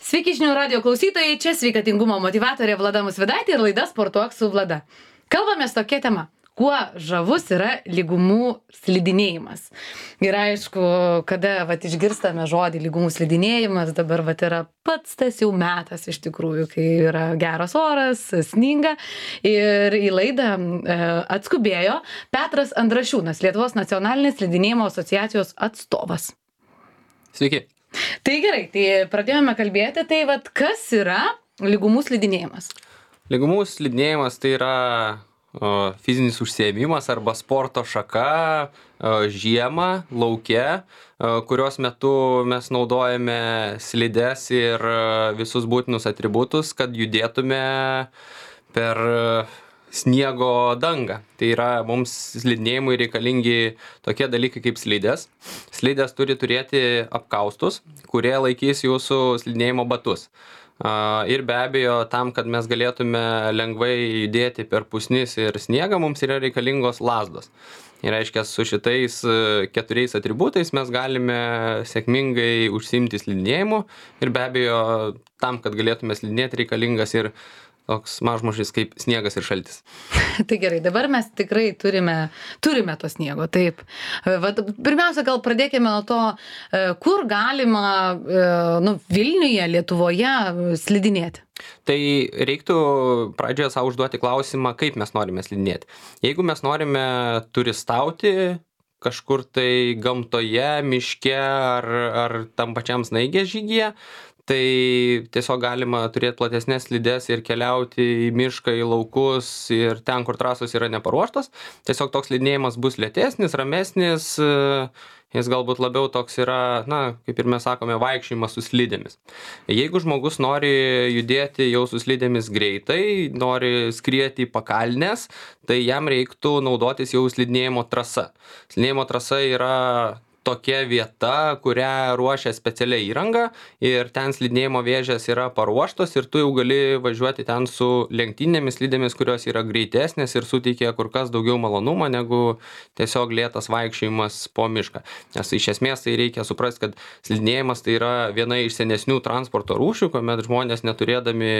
Sveiki žinių radio klausytojai, čia sveikatingumo motyvatorė Vlada Musvidaitė ir laida Sportuok su Vlada. Kalbamės tokia tema. Kuo žavus yra lygumų slidinėjimas. Ir aišku, kada išgirstame žodį lygumų slidinėjimas, dabar yra pats tas jau metas iš tikrųjų, kai yra geras oras, sninga. Ir į laidą atskubėjo Petras Andrašiūnas, Lietuvos nacionalinės slidinėjimo asociacijos atstovas. Sveiki. Tai gerai, tai pradėjome kalbėti, tai kas yra lygumų slidinėjimas? Lygumų slidinėjimas tai yra fizinis užsiėmimas arba sporto šaka žiemą, lauke, kurios metu mes naudojame slides ir visus būtinus atributus, kad judėtume per sniego dangą. Tai yra mums slidinėjimui reikalingi tokie dalykai kaip slidės. Slidės turi turėti apkaustus, kurie laikys jūsų slidinėjimo batus. Ir be abejo, tam, kad mes galėtume lengvai judėti per pusnis ir sniegą, mums yra reikalingos lazdos. Ir reiškia, su šitais 4 atributais mes galime sėkmingai užsiimti slidinėjimu. Ir be abejo, tam, kad galėtume slidinėti, reikalingas ir toks mažmožis kaip sniegas ir šaltis. Tai gerai, dabar mes tikrai turime to sniego, taip. Pirmiausia, gal pradėkime nuo to, kur galima Vilniuje, Lietuvoje slidinėti. Tai reiktų pradžioje savo užduoti klausimą, kaip mes norime slidinėti. Jeigu mes norime turistauti kažkur tai gamtoje, miške ar tam pačiam snaigės žygyje, tai tiesiog galima turėti platesnės slides ir keliauti į mišką, į laukus ir ten, kur trasos yra neparuoštos. Tiesiog toks slidinėjimas bus lėtesnis, ramesnis, jis galbūt labiau toks yra, kaip ir mes sakome, vaikščiojimas su slidėmis. Jeigu žmogus nori judėti jau su slidėmis greitai, nori skrieti į pakalnes, tai jam reiktų naudotis jau slidinėjimo trasa. Slidinėjimo trasa yra tokia vieta, kurią ruošia specialią įrangą ir ten slidinėjimo vėžės yra paruoštos ir tu jau gali važiuoti ten su lenktyninėmis slidėmis, kurios yra greitesnės ir suteikia kur kas daugiau malonumo negu tiesiog lėtas vaikščiojimas po mišką. Nes iš esmės tai reikia suprasti, kad slidinėjimas tai yra viena iš senesnių transporto rūšių, kuomet žmonės neturėdami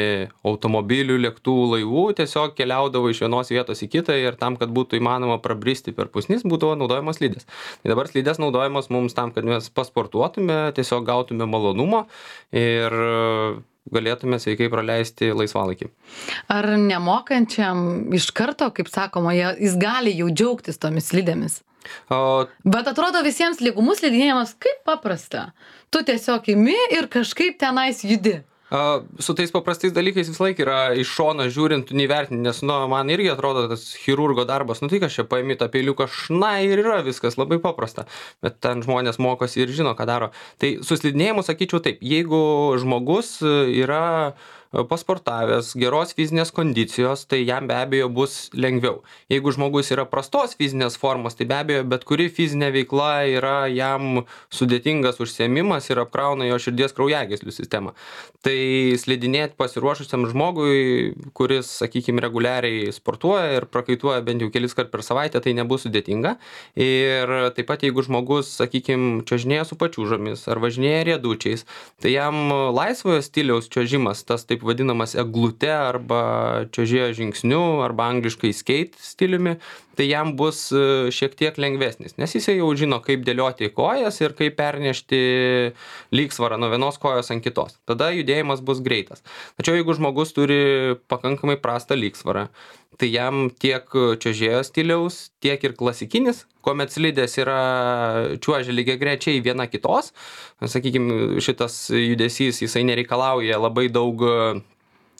automobilių, lėktuvų, laivų tiesiog keliaudavo iš vienos vietos į kitą ir tam, kad būtų įmanoma prabristi per pusnis, būdavo naudojamos slidės. Tai dabar slidės naudojamos mums tam, kad mes pasportuotume, tiesiog gautume malonumo ir galėtume sveikai praleisti laisvalaikį. Ar nemokančiam iš karto, kaip sakoma, jis gali jau džiaugtis tomis slidėmis? Bet atrodo visiems lygumų slidinėjimas kaip paprasta. Tu tiesiog imi ir kažkaip tenais judi. Su tais paprastais dalykais vis laik yra iš šono žiūrint, tu nevertini, nes man irgi atrodo tas chirurgo darbas, tai kas čia paimi tą peiliuką, ir yra viskas labai paprasta, bet ten žmonės mokosi ir žino, ką daro. Tai su slidinėjimu sakyčiau taip, jeigu žmogus yra pasportavęs, geros fizinės kondicijos, tai jam be abejo bus lengviau. Jeigu žmogus yra prastos fizinės formos, tai be abejo bet kuri fizinė veikla yra jam sudėtingas užsiėmimas ir apkrauna jo širdies kraujagyslių sistemą. Tai slidinėti pasiruošusiam žmogui, kuris, sakykime, reguliariai sportuoja ir prakaituoja bent jau kelis kart per savaitę, tai nebus sudėtinga. Ir taip pat jeigu žmogus, sakykime, čiuožinėja su pačiūžomis ar važinėja riedučiais, tai jam laisvojo stiliaus čiuožimas, tas taip vadinamas eglute arba čiuožėjo žingsniu arba angliškai skate stiliumi, tai jam bus šiek tiek lengvesnis, nes jis jau žino, kaip dėlioti kojas ir kaip pernešti lygsvarą nuo vienos kojos ant kitos. Tada judėjimas bus greitas. Tačiau jeigu žmogus turi pakankamai prastą lygsvarą, tai jam tiek čiuožėjo stiliaus, tiek ir klasikinis, kuomet slidės yra čiuožia lygiagrečiai viena kitos, sakykime, šitas judesys, jisai nereikalauja labai daug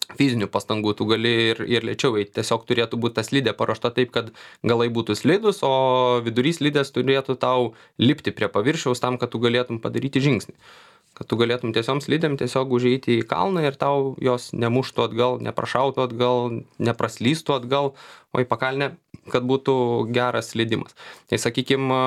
fizinių pastangų, tu gali ir lėčiau eiti. Tiesiog turėtų būti ta slidė paruošta taip, kad galai būtų slidus, o vidurys slidės turėtų tau lipti prie paviršiaus tam, kad tu galėtum padaryti žingsnį. Kad tu galėtum tiesiog slidėm tiesiog užeiti į kalną ir tau jos nemuštų atgal, neprašautų atgal, nepraslystų atgal, o į pakalnę, kad būtų geras slidimas. Tai sakykime,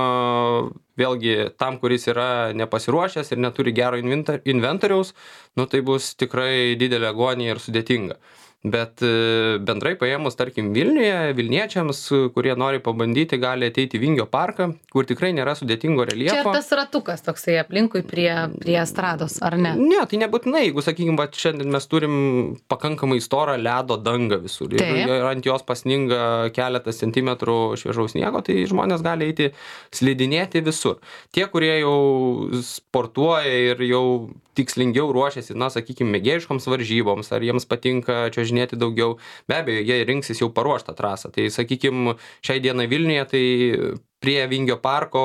vėlgi tam, kuris yra nepasiruošęs ir neturi gero inventoriaus, tai bus tikrai didelė agonija ir sudėtinga. Bet bendrai paėmus, tarkim, Vilniuje, Vilniečiams, kurie nori pabandyti, gali ateiti į Vingio parką, kur tikrai nėra sudėtingo Čia reljefo. tas ratukas toksai aplinkui prie estrados, ar ne? Ne, tai nebūtinai, jeigu, sakykime, va, šiandien mes turim pakankamai storą ledo dangą visur ir ant jos pasninga keletas centimetrų šviežaus sniego, tai žmonės gali eiti slidinėti visur. Tie, kurie jau sportuoja ir jau tikslingiau ruošiasi, na, sakykime, mėgėjiškoms varžyboms, ar jiems patinka čiuožinėti daugiau, be abejo, jie rinksis jau paruoštą trasą. Tai, sakykime, šiai dienai Vilniuje, tai prie Vingio parko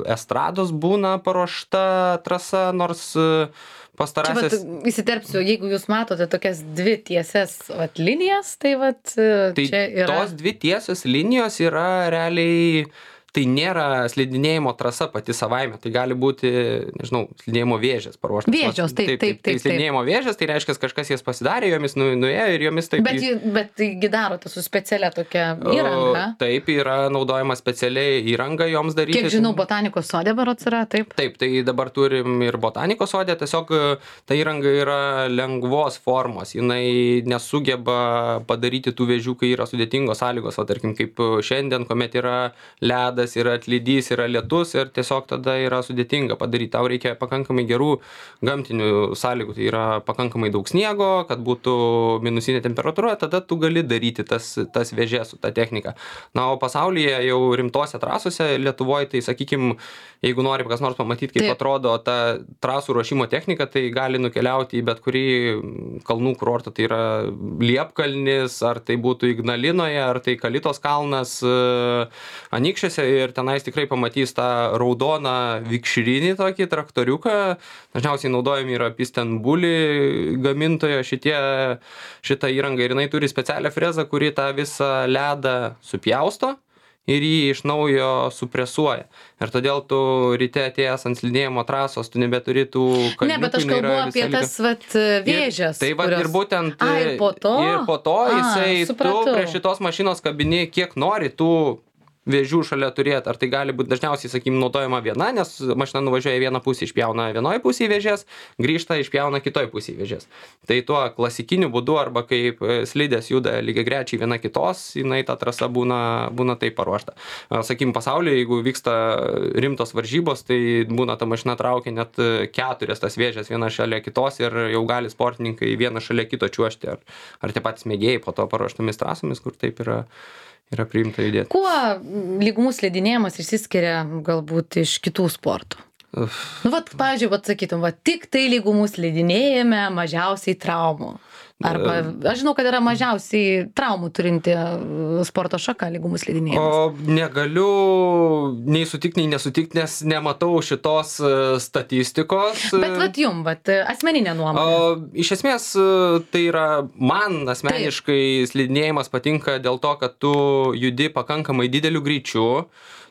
estrados būna paruošta trasa, nors pastarasis... Čia įsiterpsiu, jeigu jūs matote tokias dvi tiesias linijas, tai čia yra... Tos dvi tiesios linijos yra realiai... Tai nėra slidinėjimo trasa pati savaime, tai gali būti, nežinau, slidinėjimo vėžės paruoštas. Vėžios, taip. Tai slidinėjimo vėžės, tai reiškia, kažkas jas pasidarė, jomis nuėjo ir jomis taip... Bet taigi darote su specialia tokia įranga? Taip, yra naudojama specialiai įranga joms daryti. Kiek žinau, botanikos sode berods yra, taip? Taip, tai dabar turim ir botanikos sode, tiesiog ta įranga yra lengvos formos, jinai nesugeba padaryti tų vėžių, kai yra sudėtingos sąlygos, o tarkim, kaip šiandien, kuomet yra ledas, yra atlydys, yra lietus ir tiesiog tada yra sudėtinga padaryti. Tau reikia pakankamai gerų gamtinių sąlygų, tai yra pakankamai daug sniego, kad būtų minusinė temperatūra, tada tu gali daryti tas vėžės su ta technika. Na, o pasaulyje jau rimtose trasose, Lietuvoje, tai sakykim, jeigu nori kas nors pamatyti, kaip atrodo ta trasų ruošimo technika, tai gali nukeliauti į bet kurį kalnų kurortą, tai yra Liepkalnis, ar tai būtų Ignalinoje, ar tai Kalitos kalnas Anykščiuose, ir tenais tikrai pamatys tą raudoną vikšrinį tokį traktoriuką. Dažniausiai naudojami yra Pistenbuli gamintojo šitą įrangą, ir jinai turi specialią frezą, kuri tą visą ledą supjausto ir jį iš naujo supresuoja. Ir todėl tu ryte atėjęs ant slidinėjimo trasos, tu nebeturi tų kalniukų. Ne, bet aš kalbu apie tas vėžės. Tai va, ir būtent ir po to jisai, tu prie šitos mašinos kabini kiek nori tų vėžių šalia turėti, ar tai gali būti dažniausiai, sakykim, naudojama viena, nes mašina nuvažiuoja į vieną pusę, išpjauna vienoje pusėje vėžės, grįžta, išpjauna kitoje pusėje vėžės. Tai tuo klasikiniu būdu, arba kaip slidės juda lygiagrečiai viena kitos, jinai ta trasa būna taip paruošta. Sakykim, pasaulyje, jeigu vyksta rimtos varžybos, tai būna ta mašina traukia net 4 tas vėžės viena šalia kitos, ir jau gali sportininkai vieną šalia kito čiuožti, ar tie patys mėgėjai po to paruoštomis trasomis, kur taip yra priimta judėti. Kuo lygumų slidinėjimas išsiskiria galbūt iš kitų sportų? Nu, pavyzdžiui, sakytum, tik tai lygumų slidinėjime mažiausiai traumų. Arba, aš žinau, kad yra mažiausiai traumų turinti sporto šaka lygumų slidinėjimas. O negaliu nei sutikti, nei nesutikti, nes nematau šitos statistikos. Bet jum, asmeninė nuomonė. Iš esmės, tai yra, man asmeniškai slidinėjimas patinka dėl to, kad tu judi pakankamai dideliu greičiu.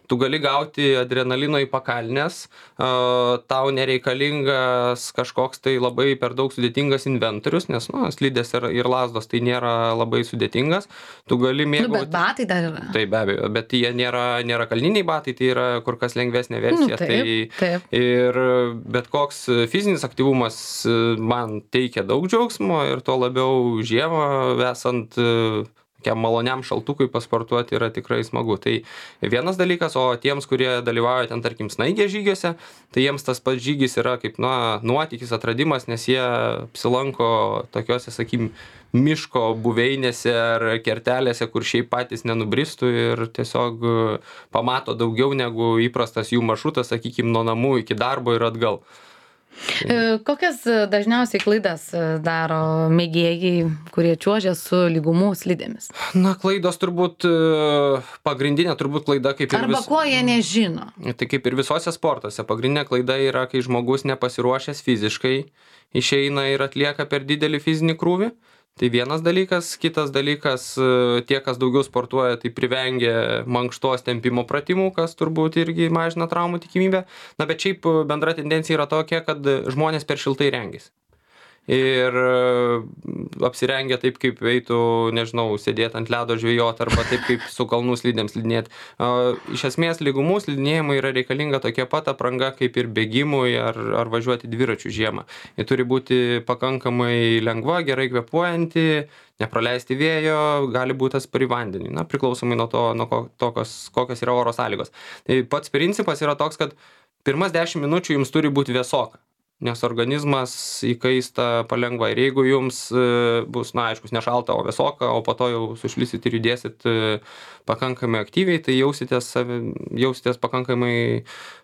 Tu gali gauti adrenalino į pakalnes, tau nereikalingas kažkoks tai labai per daug sudėtingas inventorius, nes slidės ir lazdos tai nėra labai sudėtingas. Tu gali mėgauti... Bet batai dar yra. Tai be abejo, bet jie nėra kalniniai batai, tai yra kur kas lengvesnė versija. Taip. Ir bet koks fizinis aktyvumas man teikia daug džiaugsmo, ir tuo labiau žiemą esant maloniam šaltukui pasportuoti yra tikrai smagu. Tai vienas dalykas, o tiems, kurie dalyvauja ten, tarkim, snaigės žygiuose, tai jiems tas pats žygis yra kaip nuotykis, atradimas, nes jie apsilanko tokiuose, sakykim, miško buveinėse ar kertelėse, kur šiaip patys nenubristų, ir tiesiog pamato daugiau negu įprastas jų maršrutas, sakykim, nuo namų iki darbo ir atgal. Kokias dažniausiai klaidas daro mėgėjai, kurie čiuožia su lygumų slidėmis? Klaidos turbūt pagrindinė klaida, kaip ir Arba ko jie nežino? Tai kaip ir visose sportuose. Pagrindinė klaida yra, kai žmogus nepasiruošęs fiziškai išeina ir atlieka per didelį fizinį krūvį. Tai vienas dalykas. Kitas dalykas, tie, kas daugiau sportuoja, tai privengia mankštos tempimo pratimų, kas turbūt irgi mažina traumų tikimybę. Bet šiaip bendra tendencija yra tokia, kad žmonės per šiltai rengiasi. ir apsirengę taip, kaip eitų, nežinau, sėdėti ant ledo žvejot arba taip, kaip su kalnų slidėm slidinėti. Iš esmės, lygumų slidinėjimui yra reikalinga tokia pat apranga kaip ir bėgimui ar važiuoti dviračių žiemą. Ji turi būti pakankamai lengva, gerai kvėpuojanti, nepraleisti vėjo, gali būti atspari vandeniui, priklausomai nuo to, kokios yra oro sąlygos. Tai pats principas yra toks, kad pirmas 10 minučių jums turi būti vėsoka, nes organizmas įkaista palengva. Ir jeigu jums bus, aiškus, nešalta, o vėsoka, o po to jau sušlysit ir judėsit pakankamai aktyviai, tai jausitės pakankamai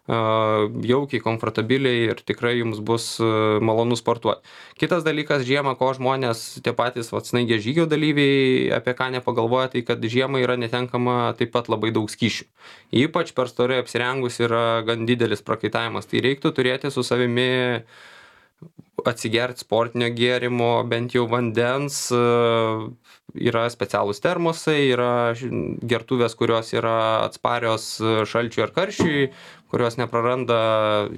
jaukiai, komfortabiliai ir tikrai jums bus malonu sportuoti. Kitas dalykas, žiemą, ko žmonės, tie patys snaigės žygio dalyviai, apie ką nepagalvoja, tai kad žiemą yra netenkama taip pat labai daug skysčių. Ypač per storai apsirengus yra gan didelis prakaitavimas. Tai reiktų turėti su savimi atsigerti sportinio gėrimo, bent jau vandens, yra specialūs termosai, yra gertuvės, kurios yra atsparios šalčiui ar karščiui, kurios nepraranda,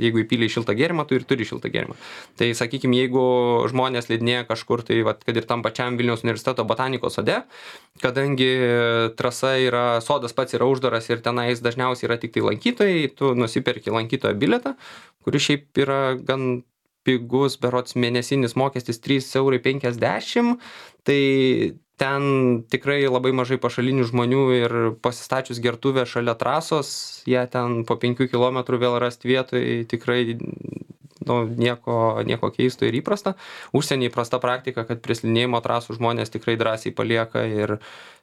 jeigu įpylė šiltą gėrimą, tu ir turi šiltą gėrimą. Tai sakykime, jeigu žmonės slidinėja kažkur, tai kad ir tam pačiam Vilniaus universiteto botanikos sode, kadangi trasa yra, sodas pats yra uždaras ir tenais dažniausiai yra tik tai lankytojai, tu nusiperki lankytojo bilietą, kuris šiaip yra gan pigus, berods mėnesinis mokestis 3,50 €, tai ten tikrai labai mažai pašalinių žmonių ir pasistačius gertuvę šalia trasos, jie ten po 5 kilometrų vėl rasti vietoj, tikrai nieko keisto ir įprasta. Užsienį įprasta praktika, kad prie slidinėjimo trasų žmonės tikrai drąsiai palieka ir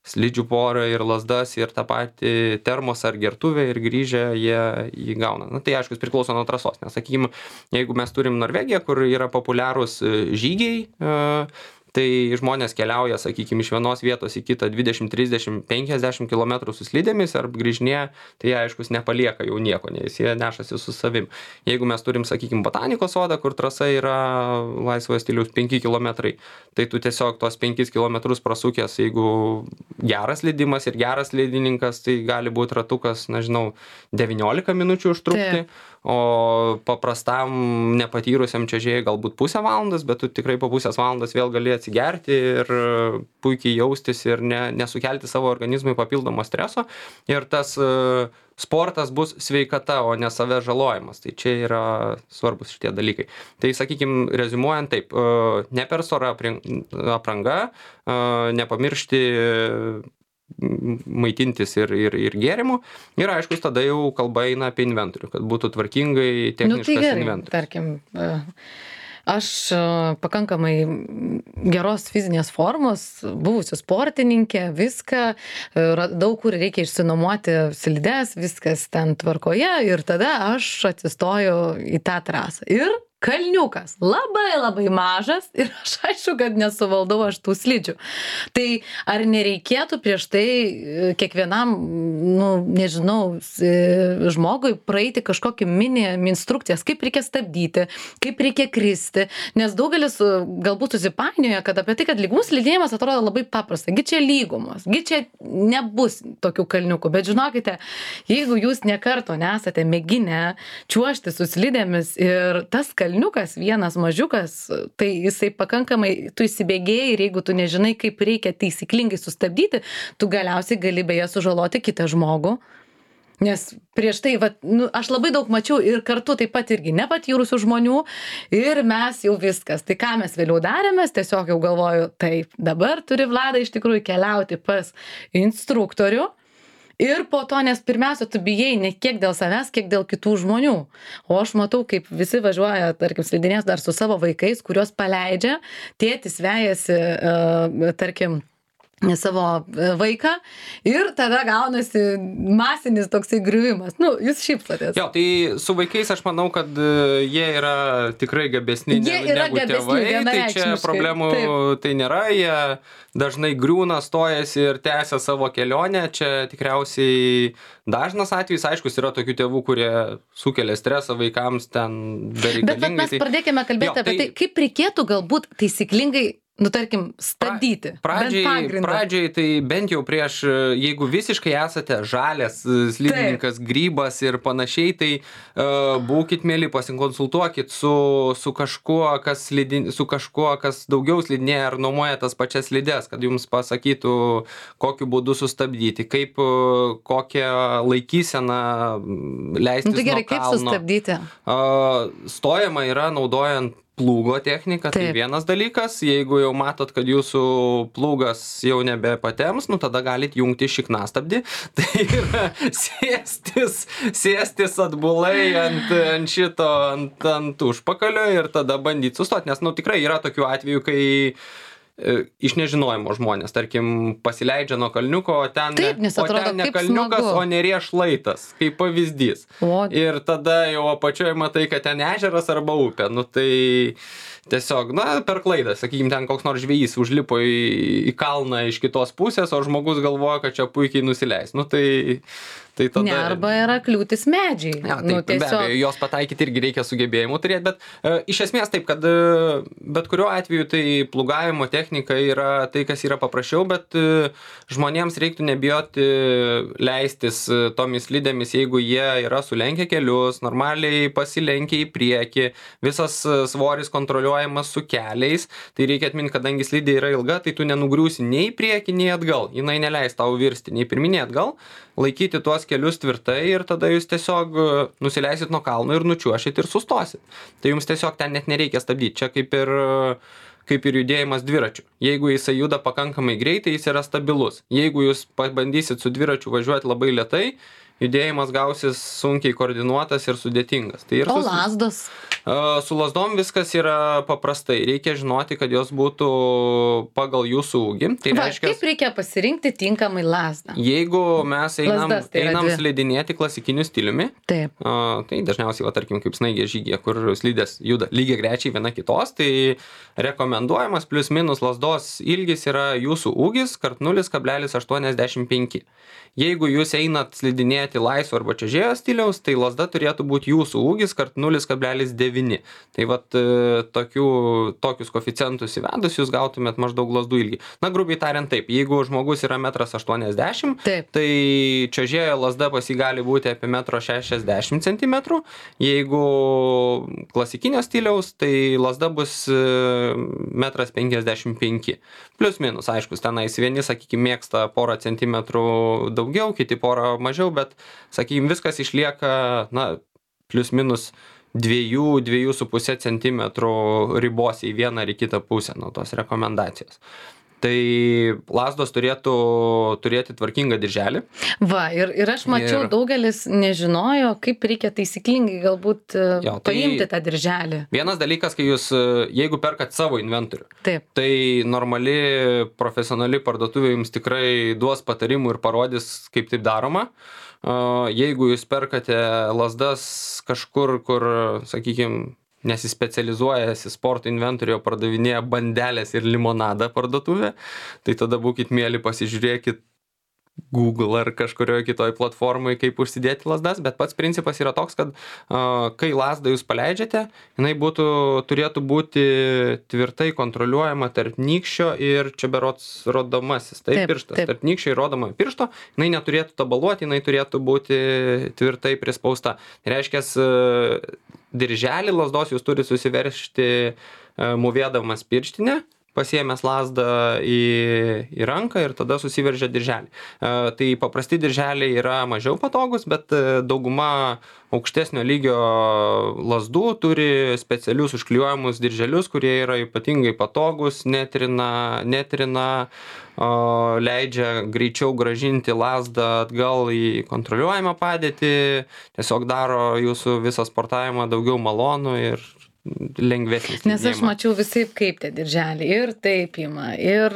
slidžių porą, ir lazdas, ir tą patį termosą ar gertuvę, ir grįžę jie jį gauna. Tai aišku, priklauso nuo trasos, nes sakykime, jeigu mes turim Norvegiją, kur yra populiarūs žygiai, tai žmonės keliauja, sakykime, iš vienos vietos į kitą 20, 30, 50 km su slidėmis ar grįžinėja, tai jie, aiškus, nepalieka jau nieko, nes jie nešasi su savim. Jeigu mes turim, sakykime, botanikos sodą, kur trasa yra laisvojo stiliaus 5 km, tai tu tiesiog tos 5 km prasukęs, jeigu geras slidimas ir geras slidininkas, tai gali būti ratukas, 19 minučių užtrukti. O paprastam nepatyrusiam čiuožėjui galbūt pusę valandos, bet tu tikrai po pusės valandos vėl gali atsigerti ir puikiai jaustis ir nesukelti savo organizmui papildomo streso. Ir tas sportas bus sveikata, o ne savęs žalojimas. Tai čia yra svarbus šitie dalykai. Tai, sakykime, reziumuojant taip, ne per stora apranga, nepamiršti maitintis ir gėrimų. Ir aišku, tada jau kalba eina apie inventorių, kad būtų tvarkingai techniškas inventorius. Tarkim, aš pakankamai geros fizinės formos, buvusi sportininkė, viską, daug kur reikia išsinuomoti slides, viskas ten tvarkoje ir tada aš atsistoju į tą trasą. Ir kalniukas, labai mažas ir aš aišku, kad nesuvaldau aš tų slidžių. Tai ar nereikėtų prieš tai kiekvienam, žmogui praeiti kažkokį mini instrukcijas, kaip reikia stabdyti, kaip reikia kristi, nes daugelis galbūt susipainioja, kad apie tai, kad lygumų slidinėjimas atrodo labai paprasta, gi čia lygumos, gi čia nebus tokių kalniukų, bet žinokite, jeigu jūs nekarto nesate mėginę čiuožti su slidėmis ir tas kalniukas vienas mažiukas, tai jisai pakankamai, tu įsibėgėjai ir jeigu tu nežinai, kaip reikia taisyklingai sustabdyti, tu galiausiai gali beje sužaloti kitą žmogų. Nes prieš tai, aš labai daug mačiau ir kartu taip pat irgi nepatyrusių žmonių ir mes jau viskas. Tai ką mes vėliau darėmės, tiesiog jau galvoju, taip, dabar turi Vlada iš tikrųjų keliauti pas instruktorių. Ir po to, nes pirmiausia, tu bijai ne kiek dėl savęs, kiek dėl kitų žmonių. O aš matau, kaip visi važiuoja, tarkim, slidinės dar su savo vaikais, kuriuos paleidžia, tėtis vejasi, tarkim, savo vaiką ir tada gaunasi masinis toksai griuvimas. Jūs šypsotės. Jo, tai su vaikais aš manau, kad jie yra tikrai gabesni negu tėvai, tai čia problemų tai nėra, jie dažnai griūna, stojasi ir tęsia savo kelionę, čia tikriausiai dažnas atvejis, aiškus, yra tokių tėvų, kurie sukelia stresą vaikams ten bereikalingai. Bet mes pradėkime kalbėti apie tai, kaip reikėtų galbūt taisyklingai tarkim, stabdyti. Pradžiai tai bent jau prieš, jeigu visiškai esate žalias slidininkas, grybas ir panašiai, tai būkit mėly, pasikonsultuokit su kažkuo, kas daugiau slidinėja ar nuomoja tas pačias slides, kad jums pasakytų, kokiu būdu sustabdyti, kaip kokią laikyseną leistis Tai gerai, nuo kalno. kaip sustabdyti? Stojama yra naudojant plūgo technika, tai vienas dalykas, jeigu jau matot, kad jūsų plūgas jau nebepatems, tada galit jungti šiknastabdį, tai yra sėstis atbulai ant užpakalio ir tada bandyti sustoti, nes tikrai yra tokių atvejų, kai iš nežinojimo žmonės, tarkim, pasileidžia nuo kalniuko, o ten ne kalniukas, o neries šlaitas, kaip pavyzdys. Ir tada jau apačioje matai, kad ten ežeras arba upė. Tai tiesiog, per klaidą, sakykime, ten koks nors žvejys užlipo į kalną iš kitos pusės, o žmogus galvoja, kad čia puikiai nusileis. Tai tada... Ne, arba yra kliūtis medžiai. Ja, taip, be abejo, jos pataikyti irgi reikia sugebėjimų turėti, bet iš esmės taip, kad bet kuriuo atveju tai plūgavimo technika yra tai, kas yra paprasčiau, bet žmonėms reiktų nebijoti leistis tomis slidėmis, jeigu jie yra sulenkę kelius, normaliai pasilenkę į priekį, visas svoris kontroliuojamas su keliais, tai reikia atminti, kadangi slidė yra ilga, tai tu nenugriūsi nei į priekį, nei atgal, jinai neleis tau virsti nei pirmin, nei atgal, laikyti tuos kelius tvirtai ir tada jūs tiesiog nusileisit nuo kalno ir nučiuošit ir sustosit. Tai jums tiesiog ten net nereikia stabdyti. Čia kaip ir judėjimas dviračių. Jeigu jisai juda pakankamai greitai, jis yra stabilus. Jeigu jūs pabandysit su dviračiu važiuoti labai lėtai, judėjimas gausis sunkiai koordinuotas ir sudėtingas. O lazdos? Su lazdom viskas yra paprastai. Reikia žinoti, kad jos būtų pagal jūsų ūgį. Tai kaip reikia pasirinkti tinkamai lazdą? Jeigu mes einam slidinėti klasikiniu stiliumi, tai dažniausiai, tarkim, kaip snaigė žygė, kur slidės juda lygiai grečiai viena kitos, tai rekomenduojamas plius minus lazdos ilgis yra jūsų ūgis kart 0,85. Jeigu jūs einat slidinėti laisvo arba čiuožėjo stiliaus, tai lazda turėtų būti jūsų ūgis kart 0,9. Tai tokius koeficientus įvedus jūs gautumėt maždaug lazdų ilgį. Grubiai tariant taip, jeigu žmogus yra 1,80 m, tai čiuožėjo lazda pas jį gali būti apie 1,60 cm. Jeigu klasikinio stiliaus, tai lazda bus 1,55 m. Plius minus, aišku, tenais vieni, sakykime, mėgsta porą centimetrų daugiau, kiti porą mažiau, bet, sakykime, viskas išlieka, plius minus 2,5 cm ribos į vieną ar į kitą pusę nuo tos rekomendacijos. Tai lazdos turėtų turėti tvarkingą dirželį. Ir aš mačiau, daugelis nežinojo, kaip reikia taisyklingai galbūt paimti tą dirželį. Vienas dalykas, kai jūs, jeigu perkat savo inventorių, tai normali, profesionali parduotuvė jums tikrai duos patarimų ir parodys, kaip taip daroma. Jeigu jūs perkate lazdas kažkur, kur, sakykime, nesispecializuojasi sporto inventoriuje, pardavinėja bandelės ir limonadą parduotuvė, tai tada būkit mėly, pasižiūrėkit Google ar kažkurioje kitoje platformoje, kaip užsidėti lazdas, bet pats principas yra toks, kad kai lazdą jūs paleidžiate, jinai turėtų būti tvirtai kontroliuojama tarp nykščio ir čia berods rodomasis, pirštas. Tarp nykščio ir rodomojo piršto, jinai neturėtų tabaluoti, jinai turėtų būti tvirtai prispausta. Reiškia, dirželį lazdos jūs turi susiveržti mūvėdamas pirštinę, pasiėmęs lazdą į ranką ir tada susiveržia dirželį. Tai paprasti dirželiai yra mažiau patogus, bet dauguma aukštesnio lygio lazdų turi specialius užklijuojamus dirželius, kurie yra ypatingai patogus, netrina, leidžia greičiau grąžinti lazdą atgal į kontroliuojamą padėtį, tiesiog daro jūsų visą sportavimą daugiau malonų ir lengvesnis. Nes aš mačiau visai kaip tie dirželiai ir taip ima, ir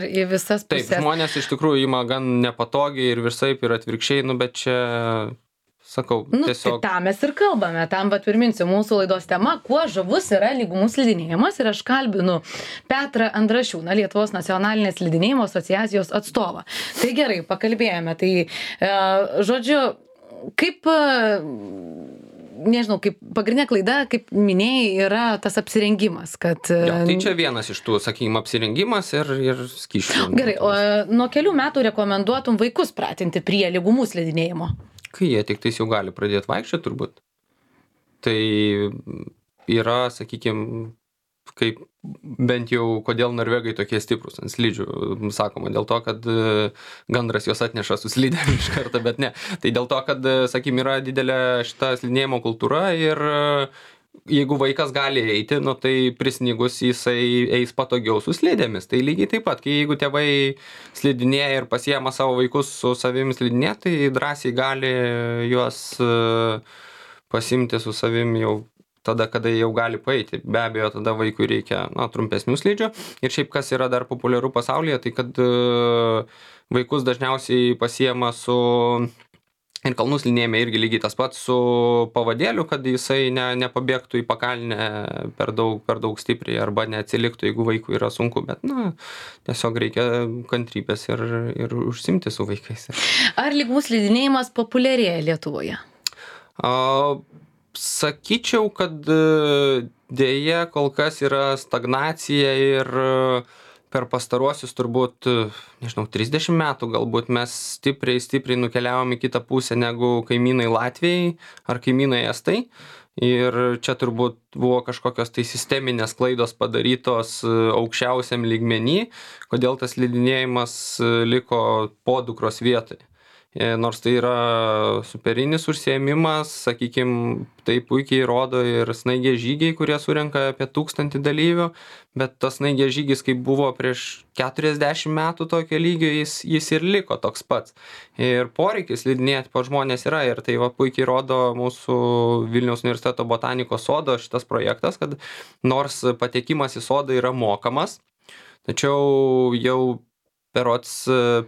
į visas pusės. Taip, žmonės iš tikrųjų ima gan nepatogiai ir visaip ir atvirkščiai, bet čia, sakau, tiesiog... Tai tam mes ir kalbame, tam priminsiu mūsų laidos tema, kuo žavus yra lygumų slidinėjimas, ir aš kalbinu Petrą Andrašiūną, Lietuvos nacionalinės slidinėjimo asociacijos atstovą. Tai gerai, pakalbėjome, tai žodžiu, kaip nežinau, kaip pagrindinė klaida, kaip minėjai, yra tas apsirengimas, kad... Jo, tai čia vienas iš tų, sakykime, apsirengimas ir skysčių. Gerai, o nuo kelių metų rekomenduotum vaikus pratinti prie lygumų slidinėjimo? Kai jie tik tais jau gali pradėti vaikščioti, turbūt. Tai yra, sakykime, kaip bent jau kodėl norvegai tokie stiprus ant slidžių, sakoma, dėl to, kad gandras juos atneša su slidėm iš karto, bet ne. Tai dėl to, kad, sakykime, yra didelė šita slidinėjimo kultūra ir jeigu vaikas gali eiti, nu, tai prisnigus jisai eis patogiau su slidėmis. Tai lygiai taip pat, kai jeigu tėvai slidinėja ir pasiema savo vaikus su savimi slidinė, tai drąsiai gali juos pasimti su savimi jau tada, kada jau gali paeiti. Be abejo, tada vaikui reikia trumpesnių slidžių. Ir šiaip kas yra dar populiaru pasaulyje, tai kad vaikus dažniausiai pasiema su... Ir kalnų slidinėjime irgi lygiai tas pats su pavadėliu, kad jisai nepabėgtų į pakalnę per daug stipriai arba neatsiliktų, jeigu vaikui yra sunku. Bet, tiesiog reikia kantrybės ir užsimti su vaikais. Ar lygumų slidinėjimas populiarėja Lietuvoje? Sakyčiau, kad dėja kol kas yra stagnacija ir per pastaruosius turbūt, 30 metų galbūt mes stipriai nukeliavom į kitą pusę negu kaimynai Latvijai ar kaimynai Estai. Ir čia turbūt buvo kažkokios tai sisteminės klaidos padarytos aukščiausiam lygmenį, kodėl tas slidinėjimas liko podukros vietoje. Nors tai yra superinis užsiėmimas, sakykime, tai puikiai rodo ir snaigės žygiai, kurie surenka apie 1000 dalyvių, bet tas snaigės žygis, kaip buvo prieš 40 metų tokio lygio, jis ir liko toks pats. Ir poreikis slidinėti po žmonės yra ir tai puikiai rodo mūsų Vilniaus universiteto botanikos sodo šitas projektas, kad nors patekimas į sodą yra mokamas, tačiau jau berods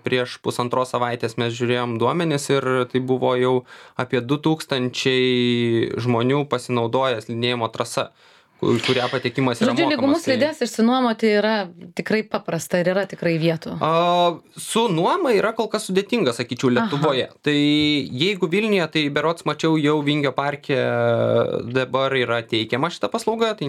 prieš 1,5 savaitės mes žiūrėjom duomenis ir tai buvo jau apie 2000 žmonių pasinaudoję slidinėjimo trasa, kurią patekimas yra mokamas. Lygumų slides išsinuomoti yra tikrai paprasta ir yra tikrai vietų. Su nuoma yra kol kas sudėtinga, sakyčiau, Lietuvoje. Aha. Tai jeigu Vilniuje, tai berods mačiau jau Vingio parke dabar yra teikiama šita paslauga, tai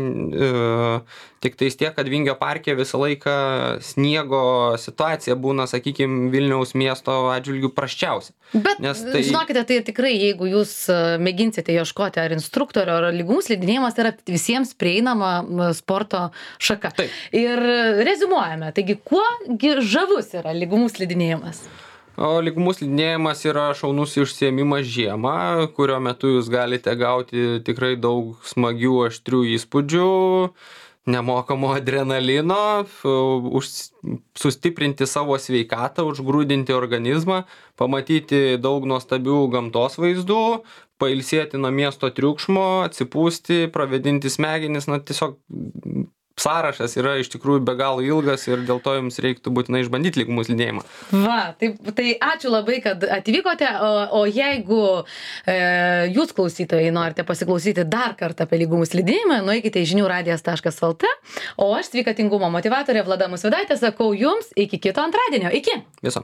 tik tais tiek, kad Vingio parke visą laiką sniego situacija būna, sakykime, Vilniaus miesto atžvilgių prasčiausia. Bet žinokite, tai tikrai, jeigu jūs mėginsite ieškoti ar instruktorio, ar lygumų slidinėjimas, tai yra visiems prieinama sporto šaka. Taip. Ir reziumuojame, taigi kuo žavus yra lygumų slidinėjimas? Lygumų slidinėjimas yra šaunus užsiėmimas žiemą, kurio metu jūs galite gauti tikrai daug smagių, aštrių įspūdžių, nemokamo adrenalino, sustiprinti savo sveikatą, užgrūdinti organizmą, pamatyti daug nuostabių gamtos vaizdų, pailsėti nuo miesto triukšmo, atsipūsti, pravėdinti smegenis, tiesiog sąrašas yra iš tikrųjų be galo ilgas ir dėl to jums reiktų būtinai išbandyti lygumų slidinėjimą. Tai ačiū labai, kad atvykote, o jeigu jūs klausytojai norite pasiklausyti dar kartą apie lygumų slidinėjimą, nueikite į žiniųradijas.lt, o aš sveikatingumo motyvatorė Vlada Musvydaitė sakau jums iki kito antradienio. Iki! Viso.